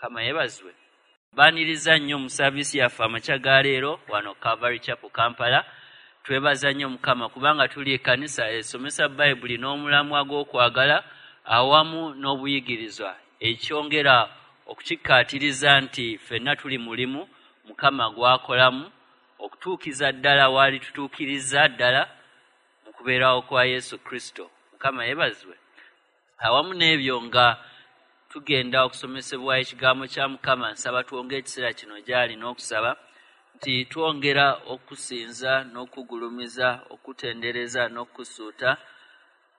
Mukama yeebazibwe. Baaniriza nnyo mu saaviisi yaffe amakya ga leero wano Calvary Chapel Kampala. Twebaza nnyo Mukama kubanga tuli ekkanisa esomesa Bayibuli n'omulamwa gw'okwagala awamu n'obuyigirizwa, ekyongera okukikkaatiriza nti ffenna tuli mulimu Mukama gw'akolamu okutuukiza ddala waali tutuukiriza ddala mu kubeerawo kwa Yesu Kristo. Mukama yeebazibwe. Awamu n'ebyo nga tugenda okusomesebwa ekigambo kya Mukama, nsaba twongere ekiseera kino gy'ali n'okusaba nti twongera okusinza n'okugulumiza, okutendereza n'okusuuta,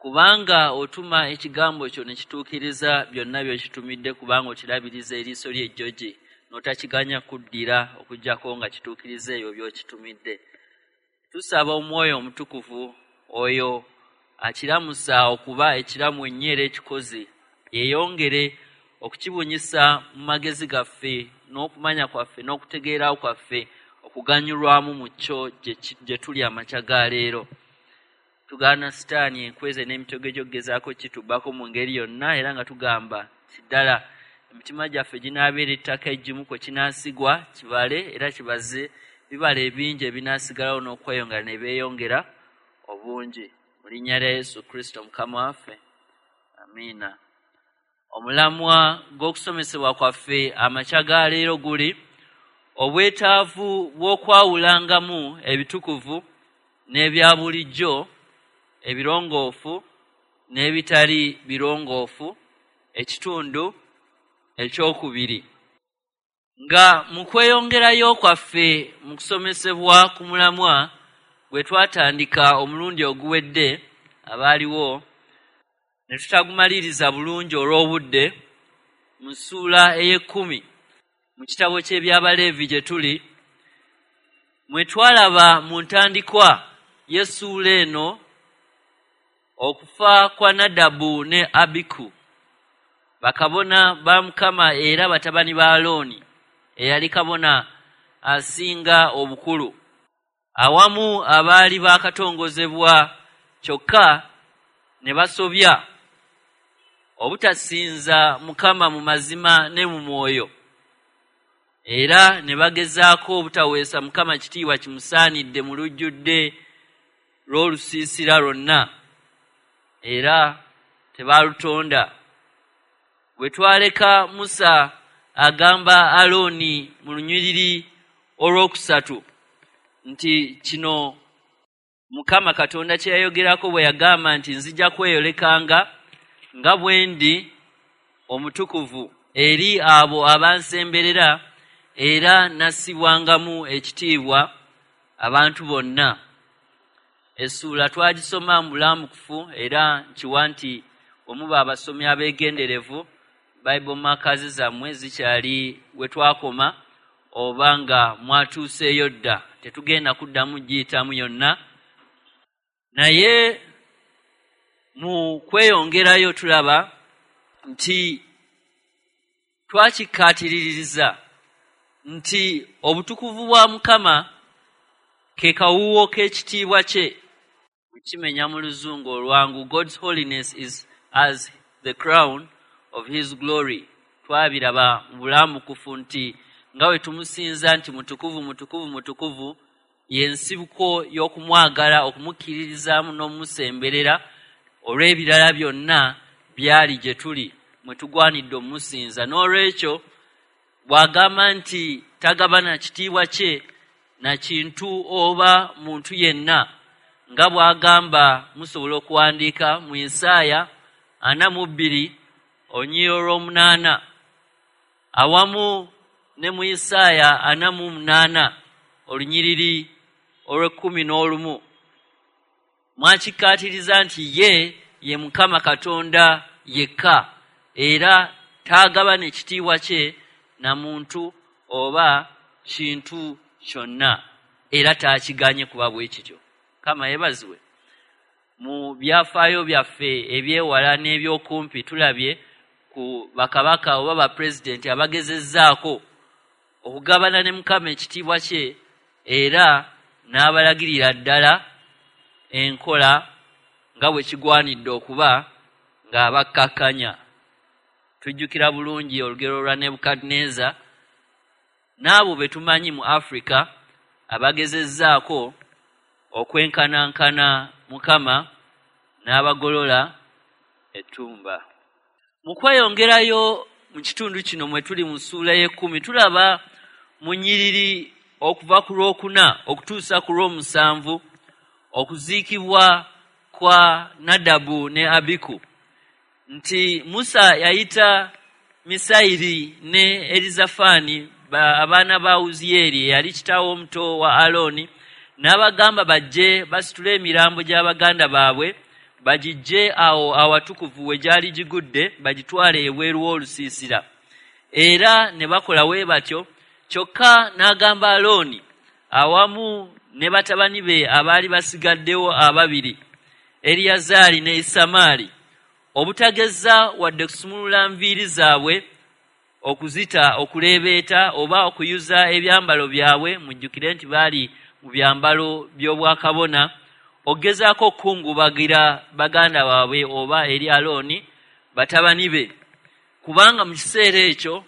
kubanga otuma ekigambo kyo ne kituukiriza byonna by'okitumidde, kubanga okirabiriza eriiso ly'ejjogi n'otakiganya kuddira okuggyako nga kituukiriza ebyo by'okitumidde. Tusaba Omwoyo Omutukuvu oyo akiramusa okuba ekiramu ennyo era ekikozi, yeeyongere okukibunyisa mu magezi gaffe n'okumanya kwaffe n'okutegeera kwaffe okuganyulwamu mu kyo gye tuli amakya ga leero. Tugaana Sitaani enkweze n'emitego gy'okugezaako kitubbako mu ngeri yonna, era nga tugamba nti ddala emitima gyaffe ginaabeera ettaka eggimu kwe kinaasigwa kibale era kibaze bibala ebingi ebinaasigalawo n'okweyongera ne beeyongera obungi. Mu linnya lya Yesu Kristo Mukama waffe, amiina. Omulamwa gw'okusomesebwa kwaffe amakya ga leero guli obwetaavu bw'okwawulangamu ebitukuvu n'ebya bulijjo, ebirongoofu n'ebitali birongoofu, ekitundu ekyokubiri. Nga mu kweyongerayo kwaffe mu kusomesebwa ku mulamwa gwe twatandika omulundi oguwedde, abaaliwo ne tutagumaliriza bulungi olw'obudde, mu ssuula ey'ekkumi mu kitabo ky'Ebyabaleevi gye tuli, mwe twalaba mu ntandikwa y'essuula eno okufa kwa Nadabu ne Abiku, bakabona ba Mukama era batabani ba Alooni, eyali kabona asinga obukulu, awamu abaali baakatongozebwa kyokka ne basobya obutasinza Mukama mu mazima ne mu mwoyo, era ne bagezaako obutaweesa Mukama kitiibwa kimusaanidde mu lujjudde lw'olusiisira lwonna, era tebaalutonda. Bwe twaleka Musa agamba Alooni mu lunyiriri olwokusatu nti kino Mukama Katonda kye yayogerako bwe yagamba nti nzija kweyolekanga nga bwe ndi omutukuvu eri abo abansemberera, era nassibwangamu ekitiibwa abantu bonna. Essuula twagisoma mu bulambukufu, era nkiwa nti bwe muba abasomi abeegenderevu, Bible markers zammwe zikyali we twakoma oba nga mwatuuseeyo dda, tetugenda kuddamu giyitamu yonna. Naye mu kweyongerayo tulaba nti twakikkaatiriza nti obutukuvu bwa Mukama ke kawuwo k'ekitiibwa kye. Bwe kimenya mu Luzungu olwangu, God's holiness is as the crown of his glory. Twabiraba mu bulambukufu nti nga bwe tumusinza nti mutukuvu, mutukuvu, mutukuvu, y'ensibuko y'okumwagala, okumukkiririzaamu n'okumusemberera olw'ebirala byonna byali gye tuli mwe tugwanidde omusinza. N'olwekyo bw'agamba nti tagabana kitiibwa kye na kintu oba muntu yenna, nga bw'agamba musobola okuwandiika mu Isaaya 42 olunyiriri olw'omunaana, awamu ne mu Isaaya 48 olunyiriri olw'ekkumi n'olumu, mwakikkaatiriza nti ye ye Mukama Katonda yekka, era taagabana ekitiibwa kye na muntu oba kintu kyonna, era taakiganye kuba bwe kityo. Mukama yeebazibwe. Mu byafaayo byaffe eby'ewala n'ebyokumpi tulabye ku bakabaka oba bapulezidenti abagezezzaako okugabana ne Mukama ekitiibwa kye, era n'abalagirira ddala enkola nga bwe kigwanidde okuba ng'abakkakkanya. Tujjukira bulungi olugero lwa Nebukadneeza n'abo be tumanyi mu Afrika abagezezzaako okwenkanankana Mukama n'abagolola ettumba. Mu kweyongerayo mu kitundu kino mwe tuli mu ssuula y'ekkumi, tulaba mu nnyiriri okuva ku lwokuna okutuusa ku lw'omusanvu okuziikibwa kwa Nadabu ne Abiku, nti Musa yayita Misayiri ne Erizafaani, abaana ba Uziyeri eyali kitaawe omuto wa Alooni, n'abagamba bajje basitule emirambo gy'abaganda baabwe bagijje awo awatukuvu we gyali gigudde bagitwale ebweru w'olusiisira. Era ne bakola we batyo. Kyokka n'agamba Alooni awamu ne batabani be abaali basigaddewo ababiri, Eriyazaali ne Isamaali, obutageza wadde kusumulula nviiri zaabwe okuzita okuleebeeta oba okuyuza ebyambalo byabwe. Mujjukire nti baali mu byambalo by'obwakabona, okugezaako okukungubagira baganda baabwe oba eri Alooni batabani be, kubanga mu kiseera ekyo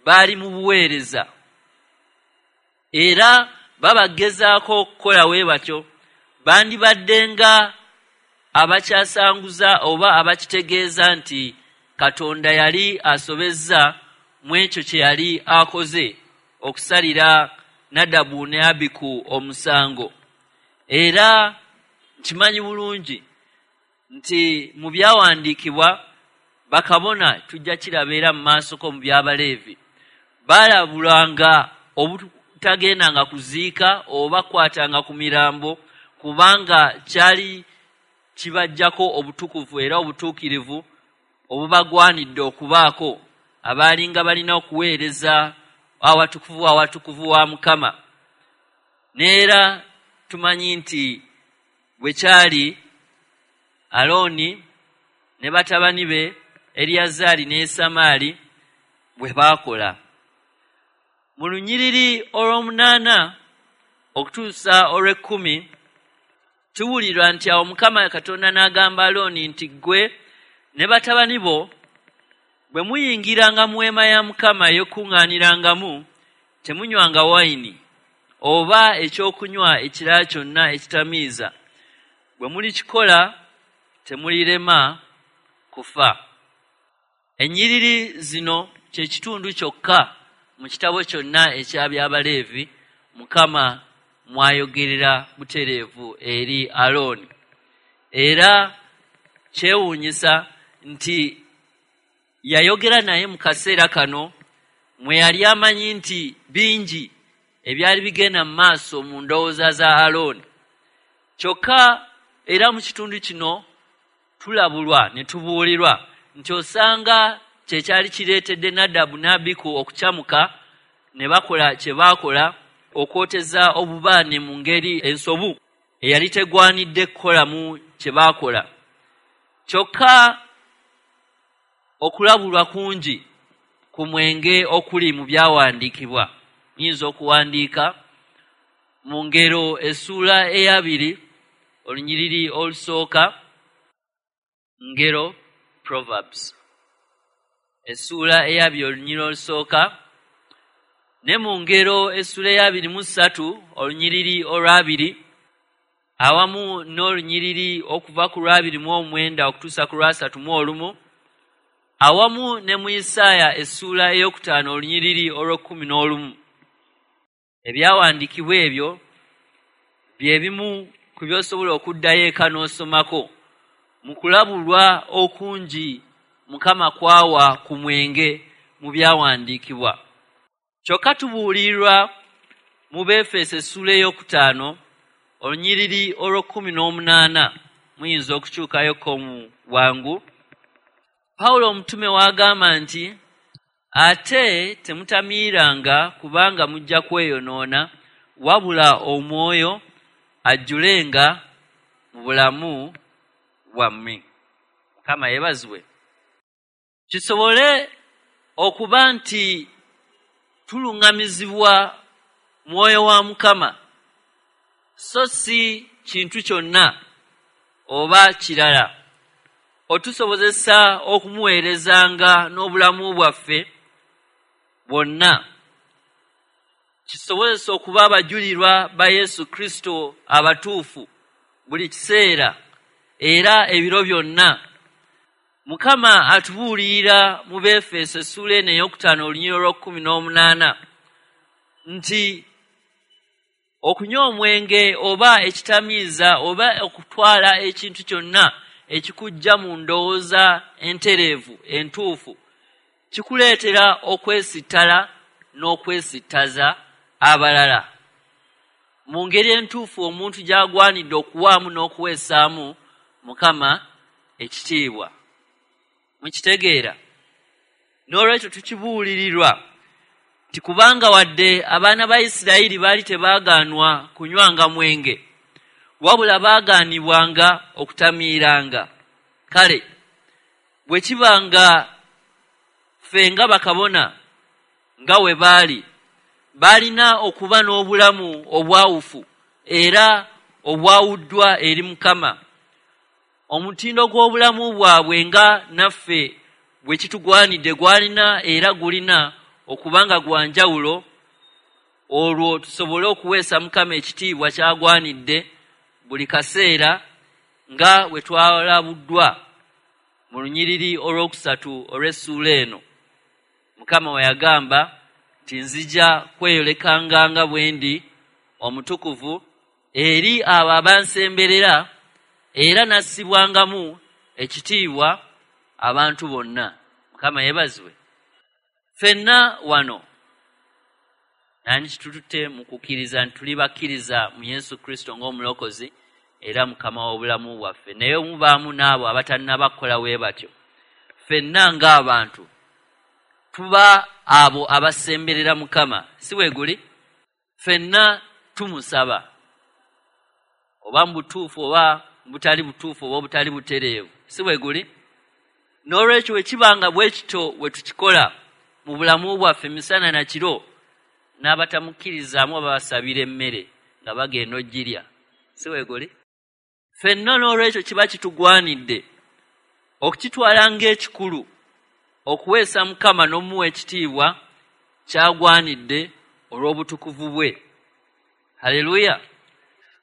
baali mu buweereza era babagezaako okukola we batyo. Bandibadde nga abakyasanguza oba abakitegeeza nti Katonda yali asobezza mu ekyo kye yali akoze okusalira Nadabu ne Abiku omusango. Era nkimanyi bulungi nti mu byawandiikibwa bakabona, tujja kiraba era mu maasoko mu by'Abaleevi, baalabulwanga obutagendanga kuziika oba kukwatanga ku mirambo, kubanga kyali kibajjako obutukuvu era obutuukirivu obubagwanidde okubaako abaalinga balina okuweereza awatukuvu awatukuvu wa Mukama. Neera tumanyi nti bwe kyali Alooni ne batabani be Eriyazaali ne Isamaali bwe baakola. Mu lunyiriri olw'omunaana okutuusa olw'ekkumi tuwulirwa nti awo Mukama Katonda n'agamba Alooni nti, ggwe ne batabani bo bwe muyingiranga mu weema ya Mukama ey'okukuŋŋaanirangamu, temunywanga wayini oba ekyokunywa ekirala kyonna ekitamiiza. Bwe mulikikola temulirema kufa. Ennyiriri zino kye kitundu kyokka mu kitabo kyonna eky'Abyabaleevi Mukama mwayogerera butereevu eri Alooni. Era kyewuunyisa nti yayogera naye mu kaseera kano mwe yali amanyi nti bingi ebyali bigenda mu maaso mu ndowooza za Alooni. Kyokka era mu kitundu kino tulabulwa ne tubuulirwa nti osanga kye kyali kireetedde Nadabu ne Abiku okukyamuka ne bakola kye baakola, okwoteza obubaane mu ngeri ensobu eyali tegwanidde kukolamu kye baakola. Kyokka okulabulwa kungi ku mwenge okuli mu byawandiikibwa. Muyinza okuwandiika mu Ngero essuula eyabiri olunyiriri olusooka, Ngero, Proverbs, essuula eyabiri olunyiriri olusooka, ne mu Ngero essuula eyabiri mu ssatu olunyiriri olwabiri, awamu n'olunyiriri okuva ku lwabiri mu omwenda okutuusa ku lwasatu mu olumu, awamu ne mu Isaaya essuula ey'okutaano olunyiriri olw'ekkumi n'olumu. Ebyawandiikibwa ebyo bye bimu ku by'osobola okuddayo eka n'osomako mu kulabulwa okungi Mukama kwawa ku mwenge mu byawandiikibwa. Kyokka tubuulirwa mu Beefeso essuula ey'okutaano olunyiriri olw'ekkumi n'omunaana, muyinza okukyukayoko mu bwangu. Pawulo omutume w'agamba nti, ate temutamiiranga kubanga mujja kweyonoona, wabula omwoyo ajjulenga mu bulamu bwammwe. Mukama yeebazibwe. Kisobole okuba nti tuluŋŋamizibwa mwoyo wa Mukama, so si kintu kyonna oba kirala. otusobozesa okumuweerezanga n'obulamu bwaffe bwonna, kisobozesa okuba abajulirwa ba Yesu Kristo abatuufu buli kiseera era ebiro byonna. Mukama atubuulirira mu Befeso essuula eno ey'okutaano olunyiriri olw'okkumi n'omunaana nti okunywa omwenge oba ekitamiiza oba okutwala ekintu kyonna ekikujja mu ndowooza entereevu entuufu kikuleetera okwesittala n'okwesittaza abalala. Mu ngeri entuufu omuntu gy'agwanidde okuwaamu n'okuweesaamu Mukama ekitiibwa. Mukitegeera? N'olwekyo tukibuulirirwa nti kubanga wadde abaana ba Isirayiri baali tebaagaanwa kunywanga mwenge, wabula baagaanibwanga okutamiiranga. Kale bwe kiba nga ffe nga bakabona nga we baali, baalina okuba n'obulamu obwawufu era obwawuddwa eri Mukama. Omutindo gw'obulamu bwabwe nga naffe bwe kitugwanidde gwalina era gulina okuba nga gwa njawulo olwo tusobole okuweesa Mukama ekitiibwa ky'agwanidde buli kaseera nga bwe twalabuddwa mu lunyiriri olw'okusatu olw'essuula eno. Mukama we yagamba nti nzija kweyolekanga nga bwe ndi omutukuvu eri abo abansemberera era nassibwangamu ekitiibwa abantu bonna. Mukama yeebazibwe. Ffenna wano nani kitututte mu kukkiriza nti tuli bakkiriza mu Yesu Kristo ng'omulokozi era Mukama w'obulamu bwaffe, naye mubaamu n'abo abatannaba kukola bwe batyo. Ffenna ng'abantu tuba abo abasemberera Mukama, si bwe guli? Ffenna tumusaba, oba mu butuufu oba mu butali butuufu oba obutali butereevu, si bwe guli? N'olwekyo bwe kiba nga bwe kityo bwe tukikola mu bulamu bwaffe misana na kiro, n'abatamukkirizaamu babasabira emmere nga bagenda ogirya, si bwe guli? Ffenna n'olwekyo kiba kitugwanidde okukitwala ng'ekikulu okuweesa Mukama n'omuwa ekitiibwa ky'agwanidde olw'obutukuvu bwe. Haleluya!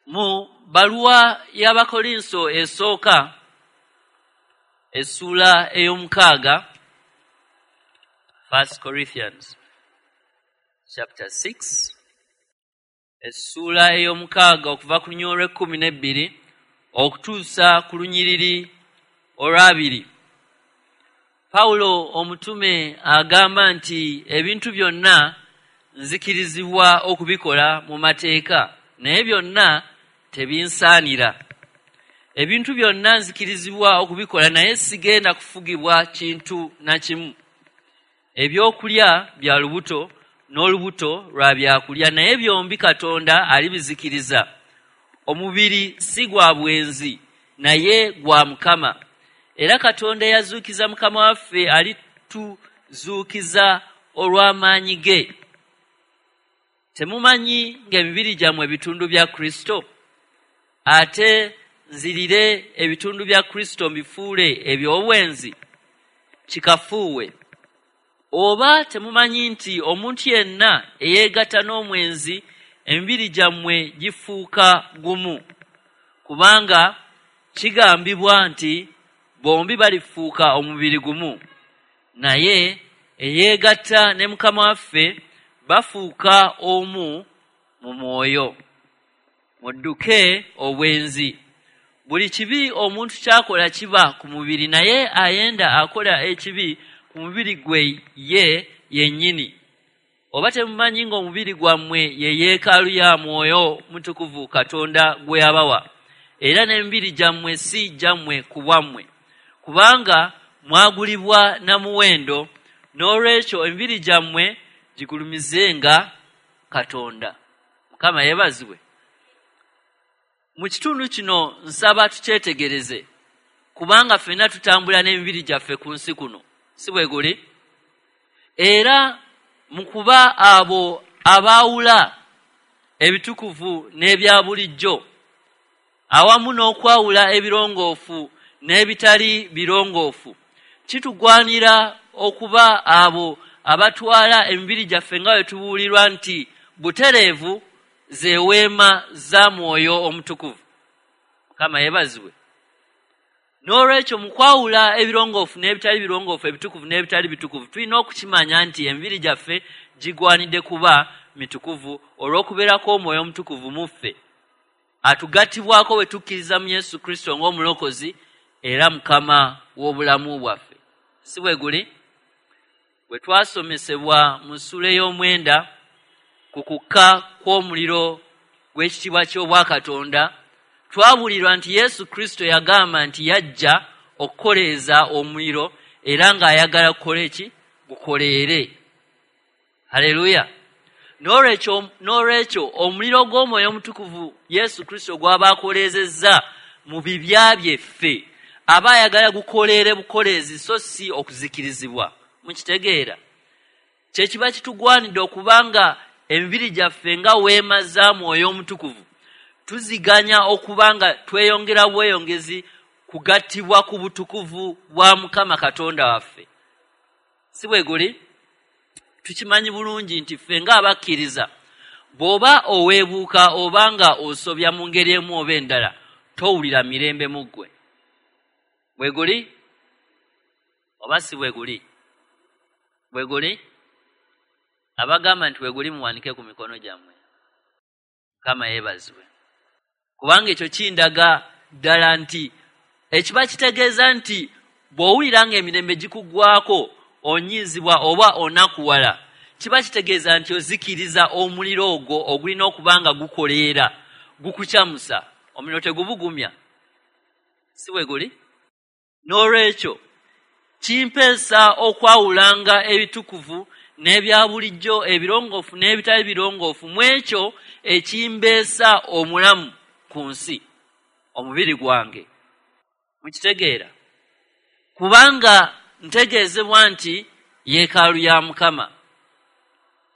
Mu bbaluwa y'Abakolinso esooka essuula ey'omukaaga, First Corinthians chapter 6, essuula ey'omukaaga okuva ku lunyiriri olw'ekkumi n'ebbiri okutuusa ku lunyiriri olw'abiri, Pawulo omutume agamba nti ebintu byonna nzikirizibwa okubikola mu mateeka, naye byonna tebinsaanira. Ebintu byonna nzikirizibwa okubikola, naye sigenda kufugibwa kintu na kimu. Ebyokulya bya lubuto n'olubuto lwa byakulya, naye byombi Katonda alibizikiriza. Omubiri si gwa bwenzi, naye gwa Mukama, era Katonda eyazuukiza Mukama waffe alituzuukiza olw'amaanyi ge. Temumanyi ng'emibiri gyammwe bitundu bya Kristo? Ate nzirire ebitundu bya Kristo mbifuule eby'obwenzi? Kikafuuwe! Oba temumanyi nti omuntu yenna eyeegatta n'omwenzi emibiri gyammwe gifuuka gumu? Kubanga kigambibwa nti bombi balifuuka omubiri gumu. Naye eyeegatta ne Mukama waffe bafuuka omu mu mwoyo. Mudduke obwenzi. Buli kibi omuntu ky'akola kiba ku mubiri, naye ayenda akola ekibi ku mubiri gwe ye yennyini. Oba temumanyi ng'omubiri gwammwe ye yeekaalu ya Mwoyo Mutukuvu Katonda gwe yabawa, era n'emibiri gyammwe si gyammwe ku bwammwe, kubanga mwagulibwa na muwendo, n'olwekyo emibiri gyammwe gigulumizenga Katonda. Mukama yeebazibwe. Mu kitundu kino nsaba tukyetegereze, kubanga ffenna tutambula n'emibiri gyaffe ku nsi kuno, si bwe guli? Era mu kuba abo abaawula ebitukuvu n'ebya bulijjo, awamu n'okwawula ebirongoofu n'ebitali birongoofu. Kitugwanira okuba abo abatwala emibiri gyaffe nga bwe tubuulirwa nti butereevu zeweema za Mwoyo Omutukuvu. Mukama yeebazibwe. N'olwekyo mu kwawula ebirongoofu n'ebitali birongoofu, ebitukuvu n'ebitali bitukuvu, tulina okukimanya nti emibiri gyaffe gigwanidde kuba mitukuvu olw'okubeerako Omwoyo Omutukuvu mu ffe, atugattibwako bwe tukkiriza mu Yesu Kristo ng'omulokozi era Mukama w'obulamu bwaffe. Si bwe guli? Bwe twasomesebwa mu ssuula ey'omwenda ku kukka kw'omuliro gw'ekitiibwa ky'Obwakatonda, twabulirwa nti Yesu Kristo yagamba nti yajja okukoleeza omuliro era ng'ayagala kukola eki? Gukoleere. Haleluya! N'olwekyo omuliro gw'Omwoyo Omutukuvu Yesu Kristo gw'aba akoleezezza mu bibya byeffe, aba ayagala gukoleere bukoleezi so si okuzikirizibwa. Mukitegeera? Kye kiba kitugwanidde okubanga emibiri gyaffe nga weema za Mwoyo Omutukuvu tuziganya okubanga tweyongera bweyongezi kugattibwa ku butukuvu bwa Mukama Katonda waffe. Si bwe guli? Tukimanyi bulungi nti ffe ng'abakkiriza, bw'oba oweebuuka oba nga osobya mu ngeri emu oba endala, towulira mirembe mu ggwe. Bwe guli? Oba si bwe guli? Bwe guli? Abagamba nti bwe guli muwanike ku mikono gyammwe. Mukama yeebazibwe. Kubanga ekyo kindaga ddala nti ekiba kitegeeza nti bw'owulira ng'emirembe gikuggwako, onyiizibwa oba onakuwala, kiba kitegeeza nti ozikiriza omuliro ogwo ogulina okuba nga gukoleera, gukukyamusa. Omuliro tegubugumya. Si bwe guli? N'olwekyo kimpeesa okwawulanga ebitukuvu n'ebya bulijjo, ebirongoofu n'ebitali birongoofu mu ekyo ekimbeesa omulamu ku nsi, omubiri gwange. Mukitegeera? Kubanga ntegeezebwa nti yeekaalu ya Mukama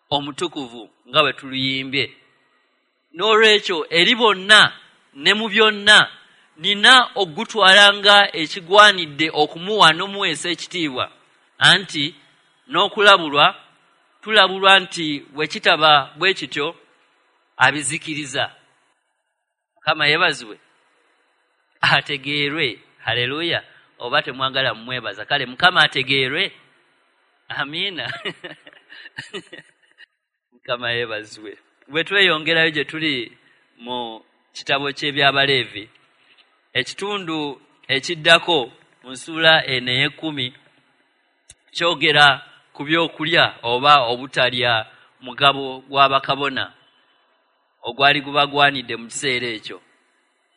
Omutukuvu nga bwe tuluyimbye. N'olwekyo eri bonna ne mu byonna nina okugutwala nga ekigwanidde okumuwa n'omuweesa ekitiibwa, anti n'okulabulwa tulabulwa nti bwe kitaba bwe kityo abizikiriza. Mukama yeebazibwe, ategeerwe. Haleluya! Oba temwagala mumwebaza, kale Mukama ategeerwe. Amiina. Mukama yeebazibwe. Bwe tweyongerayo gye tuli mu kitabo ky'Ebyabaleevi, ekitundu ekiddako mu ssuula eno ey'ekkumi kyogera ku byokulya oba obutalya mugabo gwa bakabona ogwali gubagwanidde mu kiseera ekyo,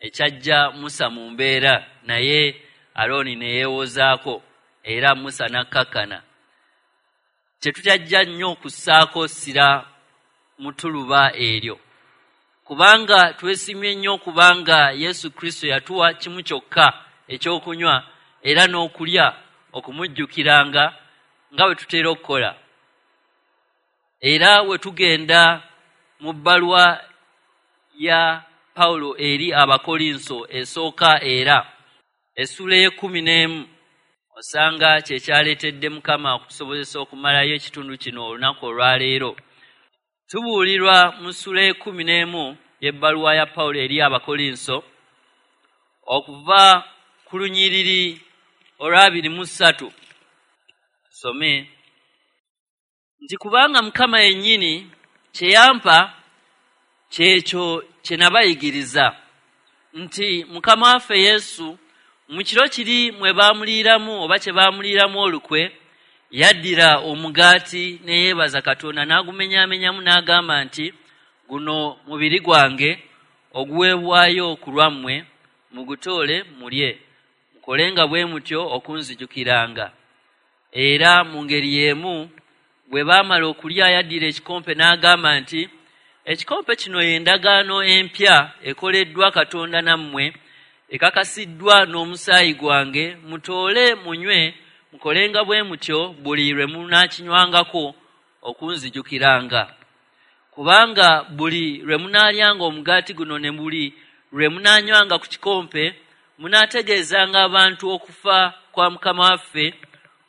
ekyajja Musa mu mbeera, naye Alooni ne yeewozaako era Musa n'akkakkana. Tetukyajja nnyo kussaako ssira mu ttuluba eryo, kubanga twesimye nnyo kubanga Yesu Kristo yatuwa kimu kyokka ekyokunywa era n'okulya okumujjukiranga nga bwe tutera okukola. Era we tugenda mu bbaluwa ya Pawulo eri Abakolinso esooka era essuula ey'ekkumi n'emu, osanga kye kyaleetedde Mukama okutusobozesa okumalayo ekitundu kino olunaku olwaleero. Tubuulirwa mu ssuula ey'ekkumi n'emu y'ebbaluwa ya Pawulo eri Abakolinso okuva ku lunyiriri olw'abiri mu ssatu. Tusome nti kubanga Mukama yennyini kye yampa kyekyo kye nabayigiriza, nti Mukama waffe Yesu mu kiro kiri mwe baamuliiramu oba kye baamuliiramu olukwe, yaddira omugaati ne yeebaza Katonda n'agumenyaamenyamu n'agamba nti guno mubiri gwange oguweebwayo ku lwammwe, mugutoole mulye, mukolenga bwe mutyo okunzijukiranga. Era mu ngeri y'emu bwe baamala okulya yaddira ekikompe n'agamba nti ekikompe kino y'endagaano empya ekoleddwa Katonda nammwe, ekakasiddwa n'omusaayi gwange, mutoole munywe, mukolenga bwe mutyo buli lwe munaakinywangako okunzijukiranga. Kubanga buli lwe munaalyanga omugaati guno ne buli lwe munaanywanga ku kikompe, Munaategeezanga abantu okufa kwa Mukama waffe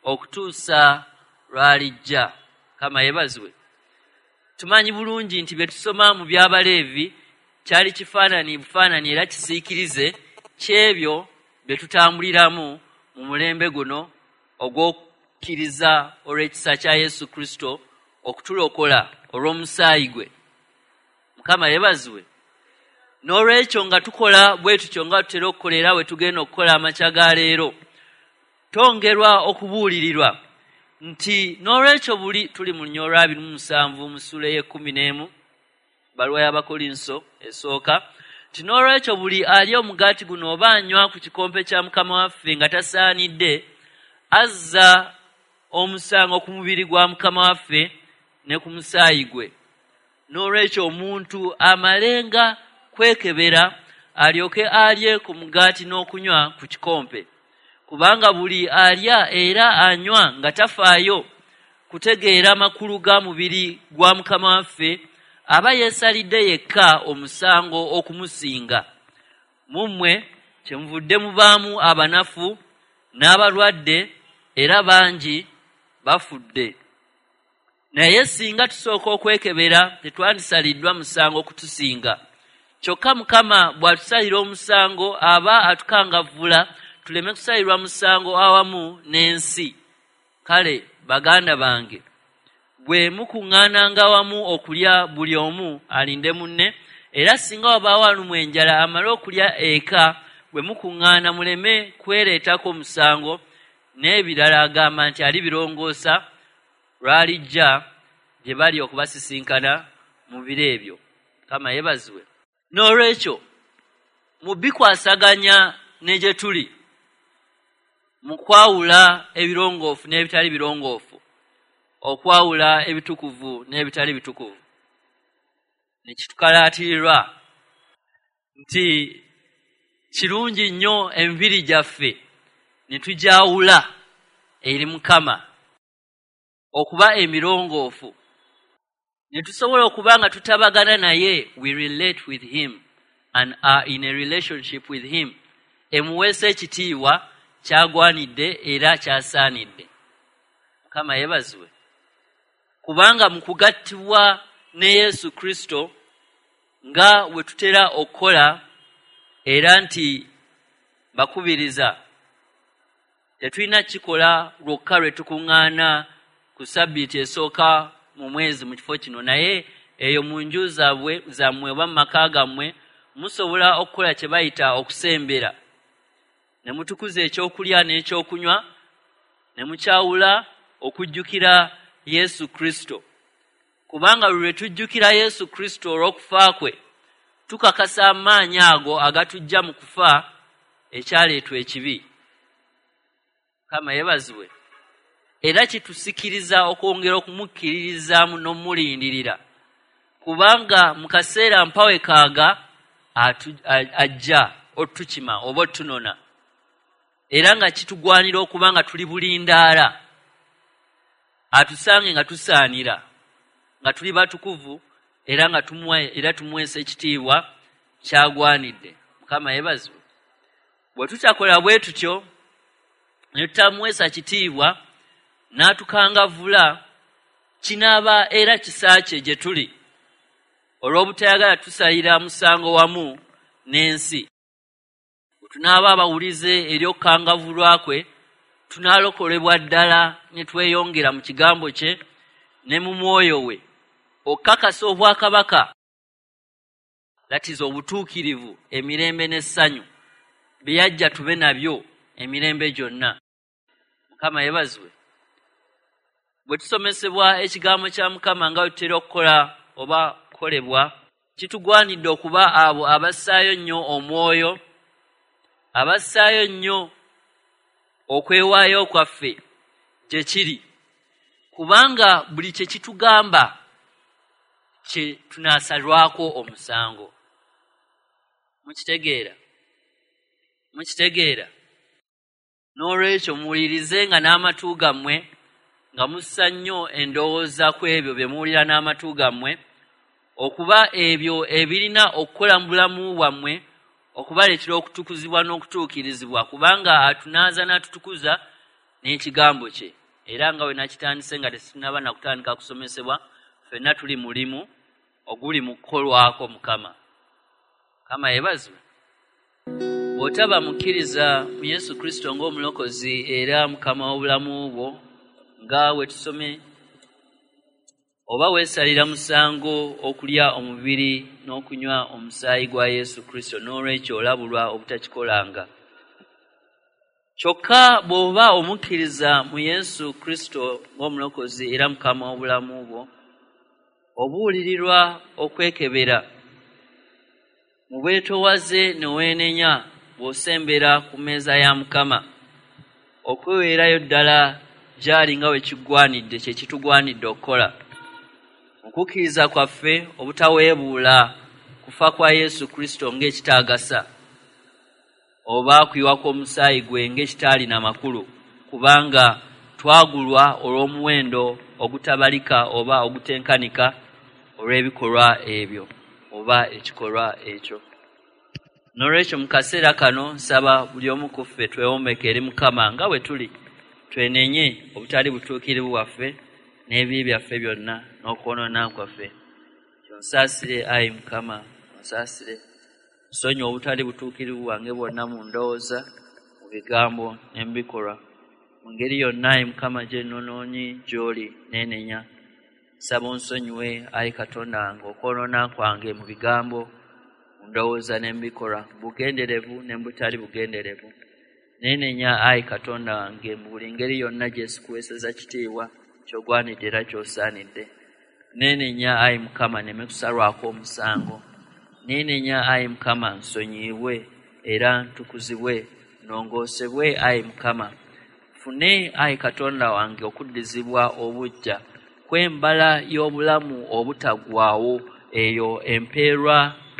okutuusa lw'alijja. Mukama yeebazibwe. Tumanyi bulungi nti bye tusoma mu by'Abaleevi kyali kifaananyi bufaananyi era kisiikirize ky'ebyo bye tutambuliramu mu mulembe guno ogw'okukkiriza olw'ekisa kya Yesu Kristo okutulokola olw'omusaayi gwe. Mukama yeebazibwe. N'olwekyo nga tukola bwe tutyo nga tutera okukola era bwe tugenda okukola amakya ga leero, twongerwa okubuulirirwa nti n'olwekyo buli tuli mu lunya olwa 27 mu ssuula ey'ekkumi n'emu bbaluwa y'Abakolinso esooka, nti n'olwekyo buli alya omugaati guno oba anywa ku kikompe kya Mukama waffe nga tasaanidde, azza omusango ku mubiri gwa Mukama waffe ne ku musaayi gwe. N'olwekyo omuntu amalenga kwekebera alyoke alye ku mugaati n'okunywa ku kikompe. Kubanga buli alya era anywa nga tafaayo kutegeera makulu ga mubiri gwa Mukama waffe, aba yeesalidde yekka omusango okumusinga. Mu mmwe kyemuvudde mubaamu abanafu n'abalwadde, era bangi bafudde. Naye singa tusooka okwekebera, tetwandisaliddwa musango okutusinga. Kyokka Mukama bw'atusalira omusango, aba atukangavvula tuleme kusalirwa musango awamu n'ensi. Kale baganda bange, bwe mukuŋŋaananga wamu okulya, buli omu alinde munne, era singa wabaawo alumwa enjala amale okulya eka, bwe mukuŋŋaana muleme kwereetako musango. N'ebirala agamba nti alibirongoosa lw'alijja gye bali okubasisinkana mu biro ebyo. Mukama yeebazibwe. N'olwekyo mu bikwasaganya ne gye tuli mu kwawula ebirongoofu n'ebitali birongoofu, okwawula ebitukuvu n'ebitali bitukuvu, ne kitukalaatirirwa nti kirungi nnyo emibiri gyaffe ne tugyawula eri Mukama okuba emirongoofu, ne tusobola okuba nga tutabagana naye. We relate with him and are in a relationship with him emuweesa ekitiibwa kyagwanidde era kyasaanidde. Mukama yeebazibwe. Kubanga mu kugattibwa ne Yesu Kristo nga we tutera okukola, era nti bakubiriza, tetulina kikola lwokka lwe tukuŋŋaana ku sabbiiti esooka mu mwezi mu kifo kino, naye eyo mu nju zammwe oba mu maka gammwe musobola okukola kye bayita okusembera, ne mutukuza ekyokulya n'ekyokunywa, ne mukyawula okujjukira Yesu Kristo. Kubanga lwe tujjukira Yesu Kristo olw'okufa kwe, tukakasa amaanyi ago agatujja mu kufa ekyaleetwa ekibi. Mukama yeebazibwe. Era kitusikiriza okwongera okumukkiririzaamu n'omulindirira, kubanga mu kaseera mpawe kaaga ajja otutukima oba otunona, era nga kitugwanira okuba nga tuli bulindaala, atusange nga tusaanira, nga tuli batukuvu, era nga tumuweesa ekitiibwa kyagwanidde. Mukama yeebazibwe. Bwe tutakola bwe tutyo ne tutamuweesa kitiibwa n'atukangavvula, kinaaba era kisa kye gye tuli olw'obutayagala tusalira musango wamu n'ensi. Bwe tunaaba abawulize eri okukangavvulwa kwe, tunaalokolebwa ddala ne tweyongera mu kigambo kye ne mu mwoyo we, okukakasa obwakabaka, that is obutuukirivu, emirembe n'essanyu bye yajja tube nabyo emirembe gyonna. Mukama yeebazibwe. Bwe tusomesebwa ekigambo kya Mukama nga bwe tutera okukola oba kukolebwa, kitugwanidde okuba abo abassaayo nnyo omwoyo, abassaayo nnyo okwewaayo kwaffe gye kiri, kubanga buli kye kitugamba kye tunaasalwako omusango. Mukitegeera? Mukitegeera? N'olwekyo muwulirize nga n'amatu gammwe, nga mussa nnyo endowooza ku ebyo bye muwulira n'amatu gammwe, okuba ebyo ebirina okukola mu bulamu bwammwe okubaleetera okutukuzibwa n'okutuukirizibwa, kubanga atunaaza n'atutukuza n'ekigambo kye. Era nga we nakitandise nga tetunnaba na kutandika kusomesebwa, ffenna tuli mulimu oguli mu kukolwako Mukama. Mukama yeebazibwe. Bw'otaba mukkiriza mu Yesu Kristo ng'omulokozi era Mukama w'obulamu bwo, nga we tusome, oba weesalira musango okulya omubiri n'okunywa omusaayi gwa Yesu Kristo, n'olwekyo olabulwa obutakikolanga. Kyokka bw'oba omukkiriza mu Yesu Kristo ng'omulokozi era Mukama w'obulamu bwo, obuulirirwa okwekebera mu bwetoowaze ne weenenya bw'osembera ku mmeeza ya Mukama, okweweerayo ddala gy'ali nga bwe kigwanidde, kye kitugwanidde okukola. Okukkiriza kwaffe obutaweebuula kufa kwa Yesu Kristo ng'ekitaagasa, oba kuyiwa kw'omusaayi gwe ng'ekitaalina makulu, kubanga twagulwa olw'omuwendo ogutabalika oba ogutenkanika olw'ebikolwa ebyo oba ekikolwa ekyo. N'olwekyo mu kaseera kano nsaba buli omu ku ffe twewombeeke eri Mukama nga bwe tuli, twenenye obutali butuukirivu bwaffe n'ebibi byaffe byonna n'okwonoona kwaffe. Onsaasire ayi Mukama, onsaasire. Nsonyiwa obutali butuukirivu bwange bwonna mu ndowooza, mu bigambo ne mu bikolwa. Mu ngeri yonna ayi Mukama gye nnonoonye gy'oli neenenya. Nsaba onsonyiwe ayi Katonda wange okwonoona kwange mu bigambo, mu ndowooza ne mu bikolwa, mu bugenderevu ne mu butali bugenderevu. Neenenya ayi Katonda wange mu buli ngeri yonna gye sikuweeseza kitiibwa ky'ogwanidde era ky'osaanidde. Neenenya ayi Mukama nneme kusalwako omusango. Neenenya ayi Mukama nsonyiyibwe era ntukuzibwe, nnongoosebwe ayi Mukama. Nfune ayi Katonda wange okuddizibwa obuggya kw'embala y'obulamu obutaggwaawo eyo empeerwa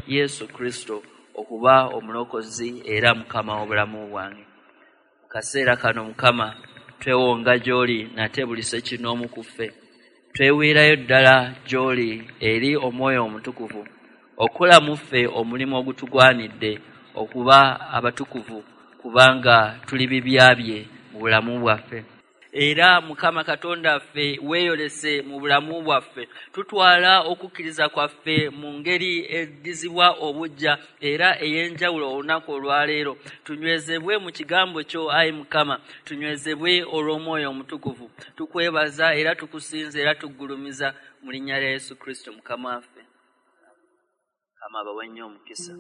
Yesu Kristo okuba omulokozi era Mukama w'obulamu bwange. Mu kaseera kano Mukama twewonga gy'oli nate buli ssekinnoomu ku ffe. Tweweerayo ddala gy'oli eri Omwoyo Omutukuvu okukola mu ffe omulimu ogutugwanidde okuba abatukuvu, kubanga tuli bibya bye mu bulamu bwaffe. Era Mukama Katonda waffe weeyolese mu bulamu bwaffe. Tutwala okukkiriza kwaffe mu ngeri eddizibwa obuggya era ey'enjawulo olunaku olwaleero. Tunywezebwe mu kigambo kyo ayi Mukama, tunywezebwe olw'Omwoyo Omutukuvu. Tukwebaza era tukusinza era tuggulumiza mu linnya lya Yesu Kristo Mukama waffe. Mukama abawe nnyo omukisa.